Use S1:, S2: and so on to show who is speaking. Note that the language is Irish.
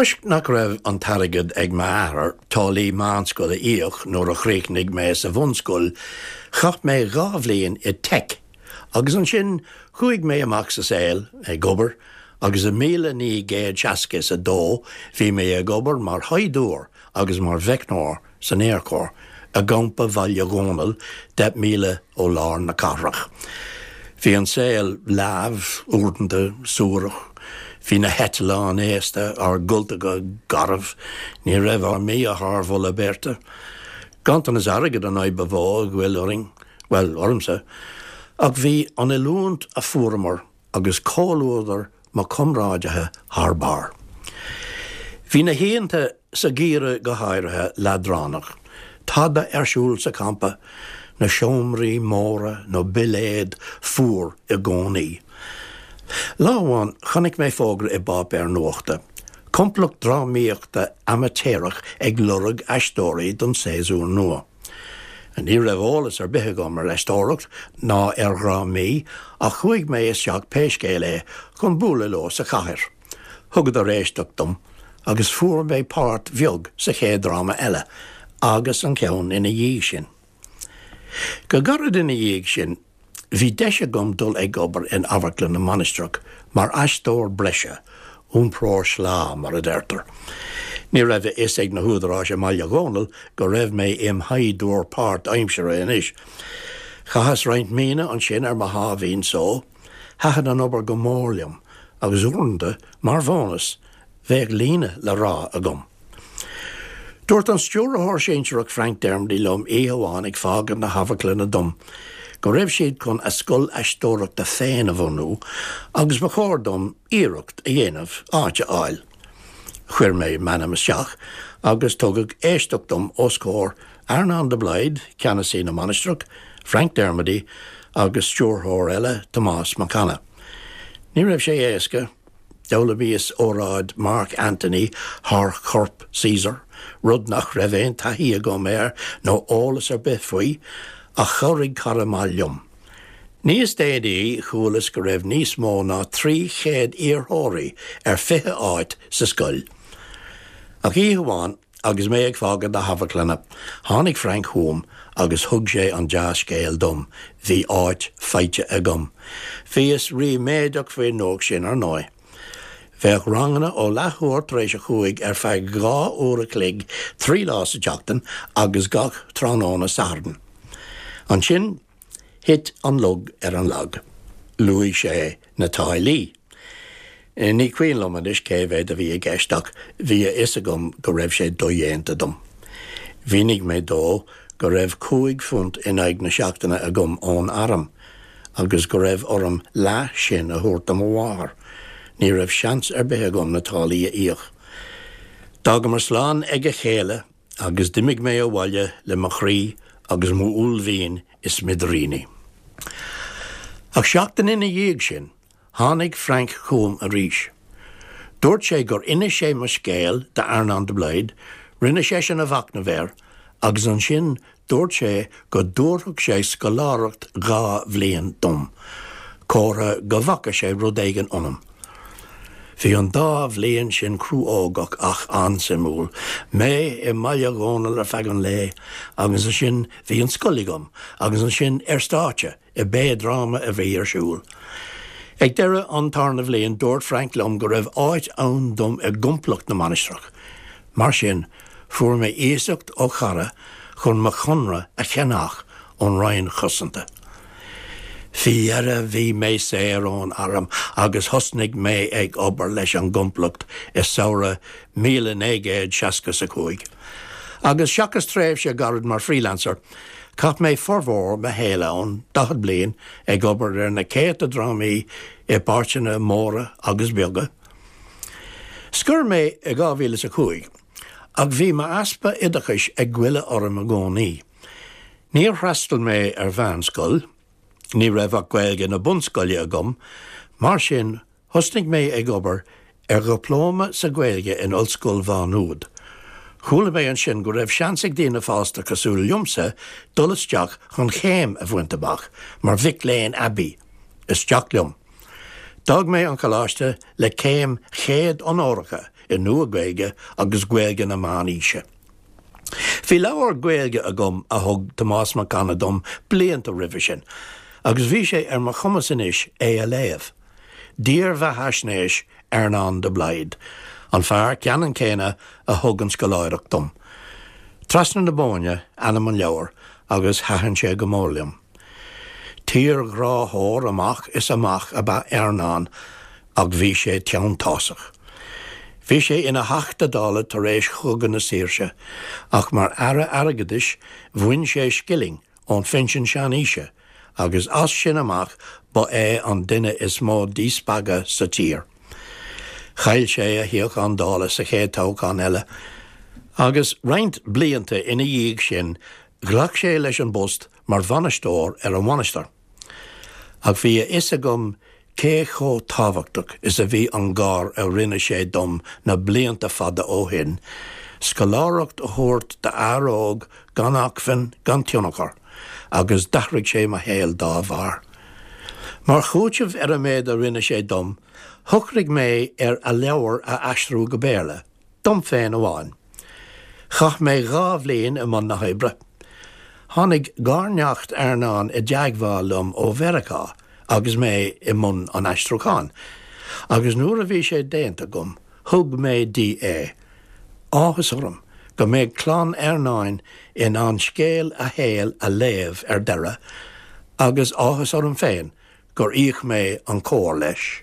S1: Toisc nach raibh an t-airgead ag m'athair táillí meánscoile a íoc nuair a chríochnaigh mé sa bhunscoil, chaith mé 2 bhliain i Teic agus ansin chuaigh mé amach sa saol ag obair agus i 1962 bhí mé ag obair mar shaighdiúir agus mar mheicneoir san Aerchór i gcampa Bhaile Dhónaill, 10 míle ó lár na cathrach. Bhí an saol leamh, uaireanta suarach. Bhí na heitleáin aosta, ár gcultacha garbh, ní raibh ár mbia thar mholadh beirte. Ganntanas airgid an fhadhb ba mhó a ghoill orainn, bhuel, ormsa, ach bhí an oiliúint a fuaireamar agus comhluadar mo chomrádaithe thar barr. Bhí na hoícheanta sa gheimhreadh go háirithe leadránach. Tada ar siúl sa champa, na seomraí móra na billéid fuar i gcónaí. Lá amháin chonaic mé fógra i bpáipéar nuachta, complacht drámaíochta amaitéarach ag lorg aisteoirí don séasúr nua. Ní raibh eolas ar bith agam ar aisteoireacht ná ar dhrámaí ach chuaigh mé isteach pé scéal é chun bualadh leo sa chathair. Thugadar éisteacht dom agus fuair mé páirt bheag sa chéad dráma eile agus an ceann ina dhiaidh sin. Go gairid ina dhiaidh sin Bhí deis agam dul ag obair in Amharclann na Mainistreach mar aisteoir breise, iompróir sleá, mar a deirtear. Ní raibh a fhios ag na húdaráis i mBaile Dhónaill go raibh mé im shaighdiúir páirtaimseartha anois. Chaitheas roinnt míonna ansin ar mo sháimhín só. Thaitin an obair go mór liom agus uaireanta, mar bhónas, bheadh líne le rá agam. Dúirt an stiúrthóir sinsearach Frank Dermody liom oíche amháin ag fágaint na hamharclainne dom go raibh siad chun a scoil aisteoireachta féin a bhunú agus ba chóir dom iarracht a dhéanamh áit a fháil. Chuir mé m'ainm isteach agus tugadh éisteacht dom os comhair Earnán de Blaghd, ceannasaí na Mainistreach, Frank Dermody agus stiúrthóir eile, Tomás Mac Anna. Ní raibh sé éasca. D'fhoghlaimíos óráid Mark Antony thar chorp Caesar, rud nach raibh aon taithí agam air nó eolas ar bith faoi, ach chabhraigh cara maith liom. Níos déanaí chualas go raibh níos mó ná 300 iarrthóirí ar 20 áit sa scoil. Ach oíche amháin, Agus mé ag fágaint na hamharclainne, tháinig Frank chugam agus thug sé an dea-scéal dom, bhí áit faighte agam. Bhíos ríméadach faoin nuacht sin, ar ndóigh. Bheadh ranganna ó leathuair tar éis a chúig ar feadh 2 uair a chloig 3 lá sa tseachtain agus gach tráthnóna Sathairn. Ansin, Thit an lug ar an lag. Luaigh sé na táillí. Ní cuimhin liom anois cé mhéad a bhí i gceist ach bhí a fhios agam go raibh sé dodhéanta dom. Mhínigh mé dó go raibh £5 in aghaidh na seachtaine agam ón arm agus go raibh orm leath sin a thabhairt do mo mháthair. Ní raibh seans ar bith agam na táillí a íoc. D'fhágamar slán ag a chéile Agus d'imigh mé abhaile le mo chroí agus m'uaillmhian i smidiríní. Ach seachtain ina dhiaidh sin, tháinig Frank chugam arís. Dúirt sé gur inis sé mo scéal d'Earnán de Blaghd, rinne seisean a mhachnamh air, agus ansin Dúirt sé go dtabharfadh sé scoláireacht 2 bhliain dom, comhartha go bhfaca sé rud éigin ionam. Bhí an dá bhliain sin cruógach ach an-suimiúil. Mé i mBaile Dhónaill ar feadh an lae agus ansin bhí an scoil agam agus ansin ar stáitse i bpé dráma a bhí ar siúl. Ag deireadh an tarna bhliain dúirt Frank liom go raibh áit ann dom i gcomplacht na Mainistreach. Mar sin, fuair mé iasacht ó chara chun mo chonradh a cheannach ón Roinn Chosanta. Faoi dheireadh bhí mé saor ón arm agus thosnaigh mé ag obair leis an gcomplacht i samhradh 1965. Agus seachas tréimhse gairid mar freelancer, chaith mé formhór mo shaoil ann, 40 bliain, ag obair ar na céadta drámaí i bpáirteanna móra agus beaga. Scoir mé i 2005, ach bhí m'easpa oideachais ag goilleadh orm i gcónaí. Níor fhreastail mé ar mheánscoil, ní raibh ach Gaeilge na bunscoile agam, mar sin Thosnaigh mé ag obair ar dhioplóma sa Ghaeilge in Ollscoil Mhá Nuad. Chuala mé ansin go raibh seans ag daoine fásta cosúil liomsa dul isteach chun céim a bhaint amach mar mhic léinn aibí. Isteach liom. D'fhág mé an coláiste le céim chéad onóracha. i Nua-Ghaeilge agus Gaeilge na Meánaoise. Bhí leabhar Gaeilge agam a thug Tomás Mac Anna dom blianta roimhe sin, agus bhí sé ar mo chumas anois é a léamh. Dírbheathaisnéis Earnán de Blaghd, an fear ceannann céanna a thug an scoláireacht dom. Trasna na Bóinne ainm an leabhair agus thaitin sé go mór liom. Tírghráthóir amach is amach ab ea Earnán ach bhí sé teanntásach. Bhí sé ina Theachta Dála tar éis Chogadh na Saoirse ach mar Aire Airgeadais bhain sé scilling ón phinsean seanaoise agus as sin amach ba é an duine is mó díspeagadh sa tír. Chaill sé a shuíochán Dála sa chéad toghchán eile agus roinnt blianta ina dhiaidh sin ghlac sé leis an bpost mar bhainisteoir ar an mhainistir. Ach bhí a fhios agam cé chomh tábhachtach is a bhí an gar a rinne sé dom na blianta fada ó shin, scoláireacht a thabhairt d'fhear óg gan acmhainn, gan tionchar, agus d'athraigh sé mo shaol dá bharr. Mar chúiteamh ar an méid a rinne sé dom, shocraigh mé ar a leabhar a aistriú go Béarla. Dom féin amháin. Chaith mé 2 bhliain i mbun na hoibre. Tháinig garneacht Earnáin i dteagmháil liom ó Mheiriceá agus mé i mbun an aistriúcháin, agus nuair a bhí sé déanta agam, thug mé di é. Áthas orm go mbeidh clann Earnáin in ann scéal a shaoil a léamh ar deireadh, agus áthas orm féin gur íoc mé an comhar leis.